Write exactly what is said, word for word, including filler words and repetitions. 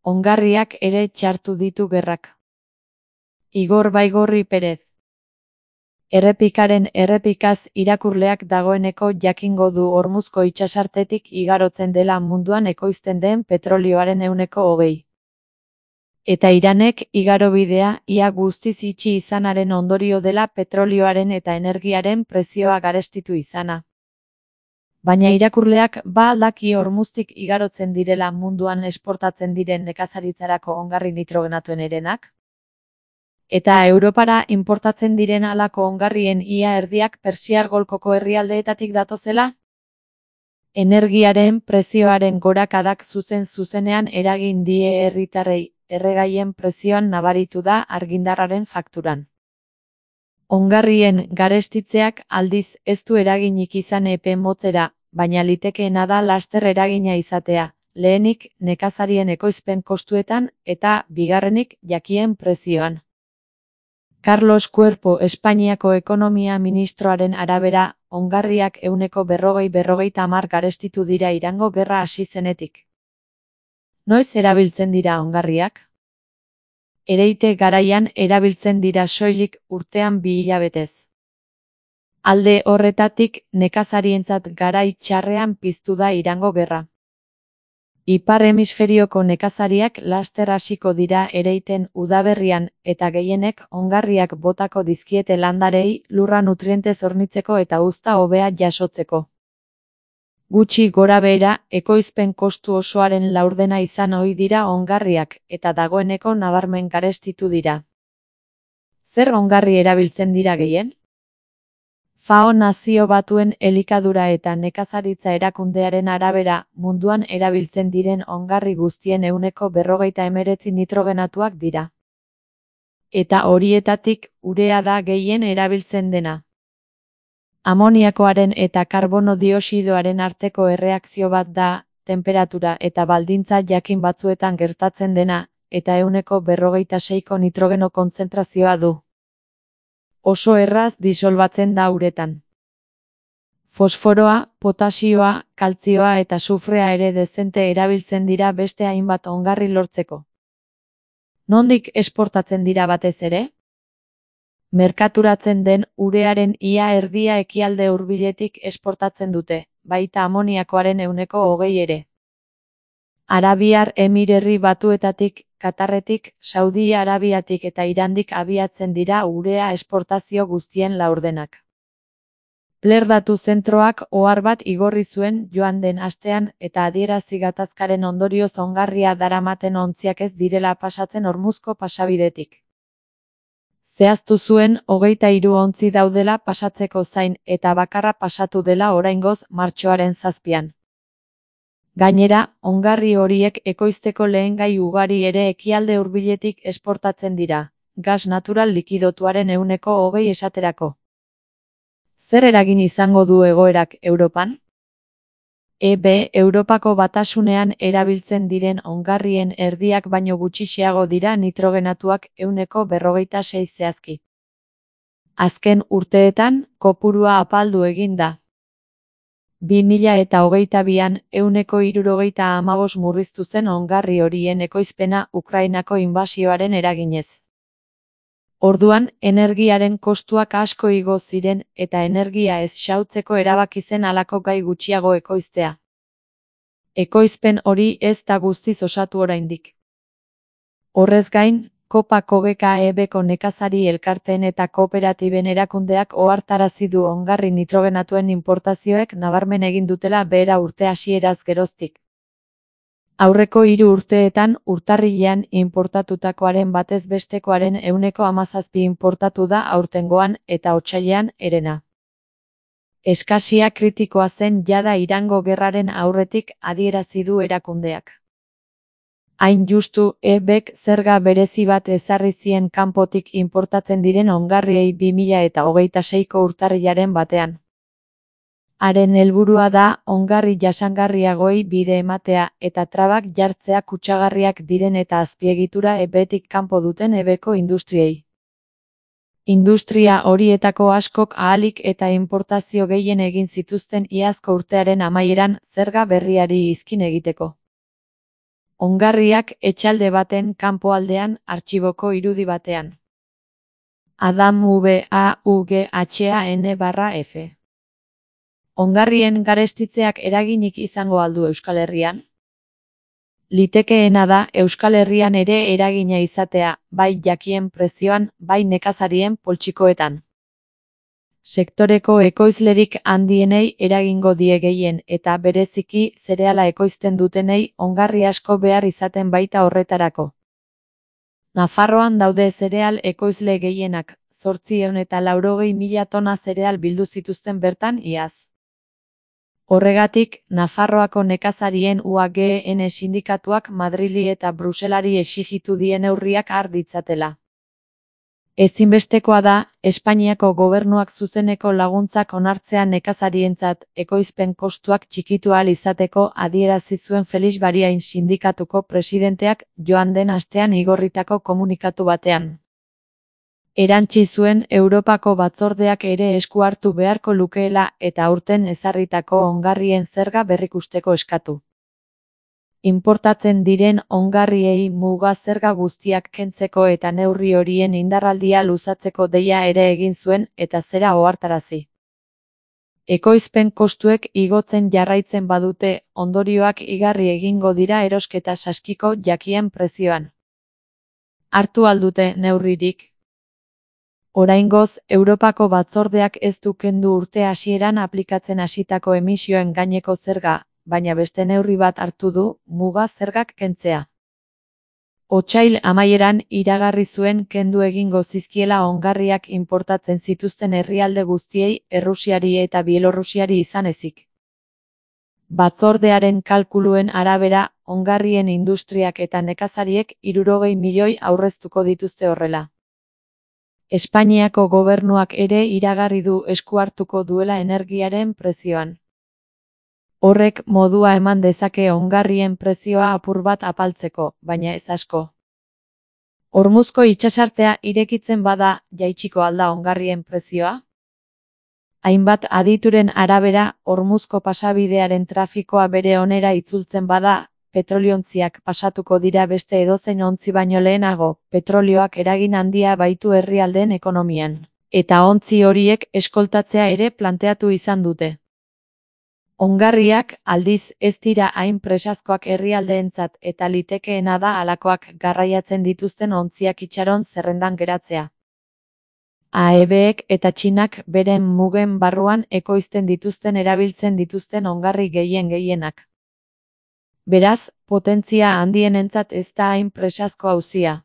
ongarriak ere txartu ditu gerrak. Igor Baigorri Perez. Errepikaren errepikaz irakurleak dagoeneko jakingo du Hormuzko itsasartetik igarotzen dela munduan ekoizten den petrolioaren ehuneko hogei. Eta Iranek igarobidea ia guztiz itxi izanaren ondorio dela petrolioaren eta energiaren prezioa garestitu izana. Baina irakurleak ba al daki Hormuztik igarotzen direla munduan esportatzen diren nekazaritzarako ongarri nitrogenatuen herenak? Eta Europara inportatzen diren halako ongarrien ia erdiak Persiar golkoko herrialdeetatik datozela? Energiaren prezioaren gorakadak zuzen zuzenean eragin die herritarrei, erregaien prezioan nabaritu da argindarraren fakturan. Ongarrien garestitzeak aldiz ez du eraginik izan epe motzera, baina litekeena da laster eragina izatea, lehenik nekazarien ekoizpen kostuetan eta bigarrenik jakien prezioan. Carlos Cuerpo Espainiako ekonomia ministroaren arabera, ongarriak ehuneko berrogei berrogeita hamar garestitu dira Irango gerra hasi zenetik. Noiz erabiltzen dira ongarriak? Ereite garaian erabiltzen dira soilik urtean bi hilabetez. Alde horretatik nekazarientzat garai txarrean piztu da Irango gerra. Ipar hemisferioko nekazariak laster hasiko dira ereiten udaberrian eta gehienek ongarriak botako dizkiete landarei lurra nutrientez hornitzeko eta uzta hobea jasotzeko. Gutxi gorabehera ekoizpen kostu osoaren laurdena izan ohi dira ongarriak eta dagoeneko nabarmen garestitu dira. Zer ongarri erabiltzen dira gehien? FAO Nazio Batuen Elikadura eta Nekazaritza erakundearen arabera, munduan erabiltzen diren ongarri guztien ehuneko berrogeita hemeretzi nitrogenatuak dira. Eta horietatik urea da gehien erabiltzen dena. Amoniakoaren eta karbono dioxidoaren arteko erreakzio bat da, tenperatura eta baldintza jakin batzuetan gertatzen dena, eta ehuneko berrogeita seiko nitrogeno kontzentrazioa du. Oso erraz disolbatzen da uretan. Fosforoa, potasioa, kaltzioa eta sufrea ere dezente erabiltzen dira beste hainbat ongarri lortzeko. Nondik esportatzen dira batez ere? Merkaturatzen den urearen ia erdia ekialde hurbiletik esportatzen dute, baita amoniakoaren ehuneko hogei ere. Arabiar Emirerri Batuetatik, Katarretik, Saudi Arabiatik eta Irandik abiatzen dira urea esportazio guztien laurdenak. Plerdatu zentroak ohar bat igorri zuen joan den astean eta adierazi gatazkaren ondorioz ongarria daramaten ontziak ez direla pasatzen Hormuzko pasabidetik. Zehaztu zuen hogeita hiru ontzi daudela pasatzeko zain eta bakarra pasatu dela oraingoz martxoaren zazpian. Gainera, ongarri horiek ekoizteko lehengai ugari ere ekialde hurbiletik esportatzen dira, gas natural likidotuaren ehuneko hogei esaterako. Zer eragin izango du egoerak Europan? E B Europako Batasunean erabiltzen diren ongarrien erdiak baino gutxiago dira nitrogenatuak ehuneko berrogeita sei zehazki. Azken urteetan, kopurua apaldu egin da. bi mila eta hogeita bian ehuneko hirurogeita hamabost murriztu zen ongarri horien ekoizpena Ukrainako inbasioaren eraginez. Orduan, energiaren kostuak asko igo ziren eta energia ez xahutzeko erabaki zen halako gai gutxiago ekoiztea. Ekoizpen hori ez da guztiz osatu oraindik. Horrez gain, Kopa Kogeka E Bko nekazari elkarteen eta kooperatiben erakundeak ohartarazi du ongarri nitrogenatuen inportazioek nabarmen egin dutela behera urte hasieraz geroztik. Aurreko hiru urteetan urtarrilean inportatutakoaren batez bestekoaren ehuneko hamazazpi inportatu da aurtengoan eta otsailean herena. Eskasia kritikoa zen jada Irango gerraren aurretik adierazi du erakundeak. Hain justu, E Bk zerga berezi bat ezarri zien kanpotik inportatzen diren ongarriei bi mila eta hogeita seiko urtarrilaren batean. Haren helburua da ongarri jasangarriagoei bide ematea eta trabak jartzea kutsagarriak diren eta azpiegitura E Btik kanpo duten E Bko industriei. Industria horietako askok ahalik eta inportazio gehien egin zituzten iazko urtearen amaieran zerga berriari izkin egiteko. Ongarriak etxalde baten kanpoaldean artxiboko irudi batean. Adam V A U G H A N barra F. Ongarrien garestitzeak eraginik izango aldu Euskal Herrian? Litekeena da Euskal Herrian ere eragina izatea, bai jakien prezioan, bai nekazarien poltsikoetan. Sektoreko ekoizlerik handienei eragingo die gehien eta bereziki zereala ekoizten dutenei ongarri asko behar izaten baita horretarako. Nafarroan daude zereal ekoizle gehienak, zortziehun eta laurogei mila tona zereal bildu zituzten bertan iaz. Horregatik, Nafarroako nekazarien U A G N sindikatuak Madrili eta Bruselari exigitu die neurriak har ditzatela. Ezinbestekoa da, Espainiako gobernuak zuzeneko laguntzak onartzea nekazarientzat ekoizpen kostuak txikitu ahal izateko adierazi zuen Felix Bariain sindikatuko presidenteak joan den astean igorritako komunikatu batean. Erantsi zuen Europako batzordeak ere esku hartu beharko lukeela eta aurten ezarritako ongarrien zerga berrikusteko eskatu. Inportatzen diren ongarriei muga zerga guztiak kentzeko eta neurri horien indarraldia luzatzeko deia ere egin zuen eta zera ohartarazi. Ekoizpen kostuek igotzen jarraitzen badute, ondorioak igarri egingo dira erosketa saskiko jakien prezioan. Hartu aldute neurririk? Oraingoz, Europako batzordeak ez du kendu urte hasieran aplikatzen hasitako emisioen gaineko zerga, baina beste neurri bat hartu du, muga zergak kentzea. Otsail amaieran iragarri zuen kendu egingo zizkiela ongarriak inportatzen zituzten herrialde guztiei, Errusiari eta Bielorrusiari izan ezik. Batzordearen kalkuluen arabera, ongarrien industriak eta nekazariek hirurogei milioi aurreztuko dituzte horrela. Espainiako gobernuak ere iragarri du esku hartuko duela energiaren prezioan. Horrek modua eman dezake ongarrien prezioa apur bat apaltzeko, baina ez asko. Hormuzko itsasartea irekitzen bada, jaitsiko alda ongarrien prezioa? Hainbat adituren arabera, Hormuzko pasabidearen trafikoa bere onera itzultzen bada, petroliontziak pasatuko dira beste edozein ontzi baino lehenago, petrolioak eragin handia baitu herrialdeen ekonomian, eta ontzi horiek eskoltatzea ere planteatu izan dute. Ongarriak, aldiz, ez dira hain presazkoak herrialdeentzat eta litekeena da halakoak garraiatzen dituzten ontziak itxaron zerrendan geratzea. A E Bek eta Txinak beren mugen barruan ekoizten dituzten erabiltzen dituzten ongarri gehien gehienak. Beraz, potentzia handienentzat ez da hain presazko auzia.